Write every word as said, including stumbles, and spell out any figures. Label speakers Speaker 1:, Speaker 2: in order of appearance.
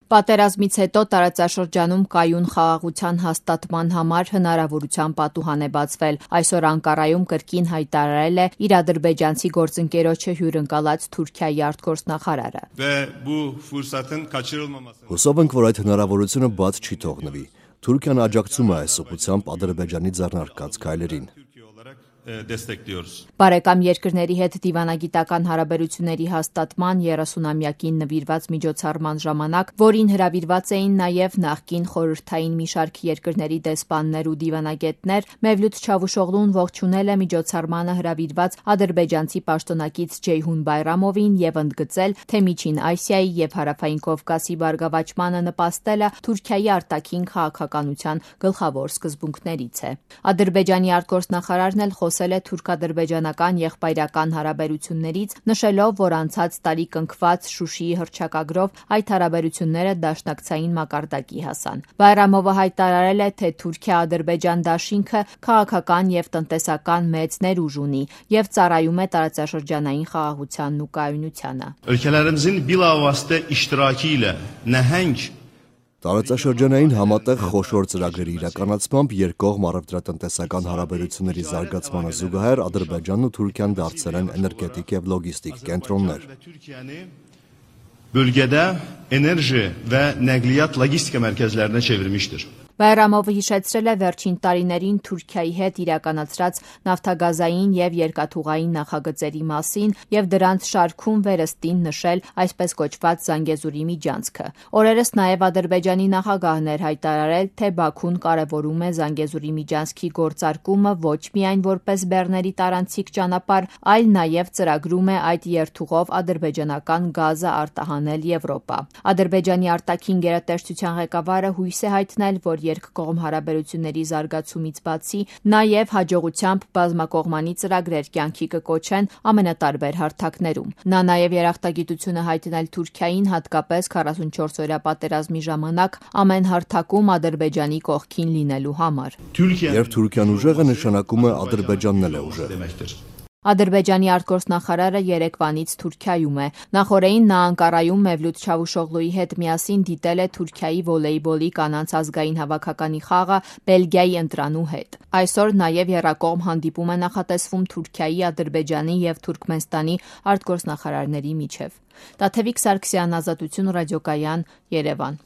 Speaker 1: Պատերազմից հետո տարածաշրջանում կայուն խաղաղության հաստատման համար հնարավորության պատուհան է բացվել։ Այսօր Անկարայում կրկին հայտարարել է իր ադրբեջանցի գործընկերոջը հյուրընկալած Թուրքիայի արտգործնախարարը։
Speaker 2: Հուսով ենք, որ այդ հնարավորությունը բաց չի թողնվի։ Թուրքիան աջակցում է այս ուղղությամբ Ադրբեջանի ձեռնարկած քայլերին։
Speaker 1: Բարեկամ երկրների հետ դիվանագիտական հարաբերությունների հաստատման երեսունամյակին նվիրված միջոցառման ժամանակ, որին հրավիրված էին նաև նախկին խորհրդային մի շարք երկրների դեսպաններ ու դիվանագետներ, Մևլութ Չավուշօղլուն ողջունել է միջոցառմանը հրավիրված ադրբեջանցի պաշտոնակից Ջեյհուն Բայրամովին եւ ընդգծել, թե Միջին Ասիայի եւ Հարավային Կովկասի բարգավաճմանը նպաստելը Թուրքիայի արտաքին քաղաքականության գլխավոր սկզբունքներից է։ Ադրբեջանի արտգործնախարարն էլ խոսել է թուրք-ադրբեջանական եղբայրական հարաբերություններից, նշելով, որ անցած տարի կնքված Շուշիի հռչակագրով այդ հարաբերությունները դաշնակցային մակարդակի հասան։ Բայրամովը հայտարարել է, թե Թուրքիա-Ադրբեջան դաշինքը քաղաքական եւ տնտեսական մեծ ներուժ ունի եւ ծառայում է տարածաշրջանային խաղաղությանն ու կայունությանը։
Speaker 3: Ölkələrimizin bilavasitə iştirakı ilə nəhəng
Speaker 2: Տարածաշրջանային համատեղ խոշոր ծրագրերի իրականացմամբ երկկողմ առևտրատնտեսական հարաբերությունների զարգացմանը զուգահեռ Ադրբեջանն ու Թուրքիան դարձել են էներգետիկ եւ լոգիստիկ կենտրոններ։
Speaker 3: Bölgədə enerji və nəqliyyat logistika mərkəzlərinə çevirmişdir.
Speaker 1: Բայրամովը հիշեցրել է վերջին տարիներին Թուրքիայի հետ իրականացրած նավթագազային եւ երկաթուղային նախագծերի մասին եւ դրանց շարքում վերստին նշել այսպես կոչված Զանգեզուրի միջանցքը։ Օրերս նաեւ Ադրբեջանի նախագահն էր հայտարարել, թե Բաքուն կարևորում է Զանգեզուրի միջանցքի գործարկումը ոչ միայն որպես բեռների տարանցիկ ճանապարհ, այլ նաեւ ծրագրում է այդ երթուղով ադրբեջանական գազը արտահանել Եվրոպա։ Ադրբեջանի արտաքին գերատեսչության ղեկավարը հույս է հայտնել, որ երկկողմ հարաբերությունների զարգացումից բացի նաև հաջողությամբ բազմակողմանի ծրագրեր կյանքի կկոչեն ամենատարբեր հարթակներում։ Նա նաև երախտագիտություն է հայտնել Թուրքիային հատկապես քառասունչորս օրյա պատերազմի ժամանակ ամեն հարթակում Ադրբեջանի կողքին լինելու համար։
Speaker 2: Երբ Թուրքիան ուժեղ է, նշանակում է Ադրբեջանն էլ է ուժեղ։
Speaker 1: Ադրբեջանի արտգործնախարարը Երևանից Թուրքիայում է։ Նախորդին նա Անկարայում Մևլութ Չավուշօղլուի հետ միասին դիտել է Թուրքիայի վոլեյբոլի կանանց ազգային հավաքականի խաղը Բելգիայի ընտրանու հետ։ Այսօր նաև եռակողմ հանդիպում է նախատեսվում Թուրքիայի, Ադրբեջանի եւ Թուրքմենստանի արտգործնախարարների միջև։ Տաթևիկ Սարգսյան, Ազատություն ռադիոկայան, Երևան։